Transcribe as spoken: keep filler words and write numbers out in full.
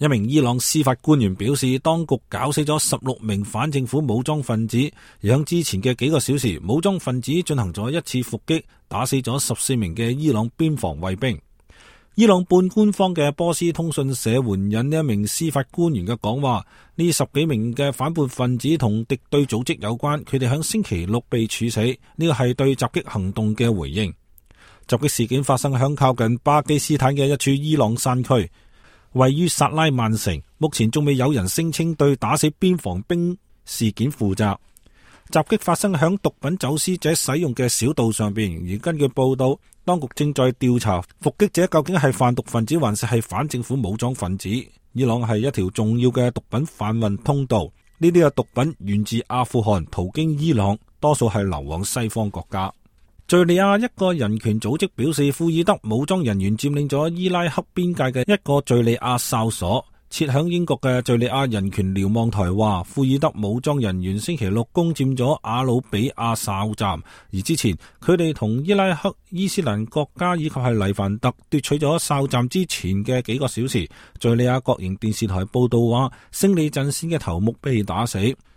一名伊朗司法官員表示，當局搞死咗十六名反政府武裝分子，而響之前嘅幾個小時，武裝分子進行咗一次伏擊，打死咗十四名嘅伊朗邊防衛兵。伊朗半官方嘅波斯通訊社援引呢一名司法官員嘅講話，呢十幾名嘅反叛分子同敵對組織有關，佢哋響星期六被處死，呢個係對襲擊行動嘅回應。襲擊事件發生響靠近巴基斯坦嘅一處伊朗山區，位於薩拉曼城，目前仲未有人聲稱對打死邊防兵事件負責。襲擊發生響毒品走私者使用嘅小道上邊，而根據報道，當局正在調查伏擊者究竟係販毒分子還是係反政府武裝分子。伊朗係一條重要嘅毒品販運通道，呢啲嘅毒品源自阿富汗，途經伊朗，多數係流往西方國家。敘利亞一個人權組織表示，庫爾德武裝人員佔領咗伊拉克邊界嘅一個敘利亞哨所。設響英國嘅敘利亞人權瞭望台話，庫爾德武裝人員星期六攻佔咗阿魯比亞哨站，而之前佢哋同伊拉克伊斯蘭國家以及係黎凡特奪取咗哨站之前嘅幾個小時，敘利亞國營電視台報道話，勝利陣線嘅頭目被打死。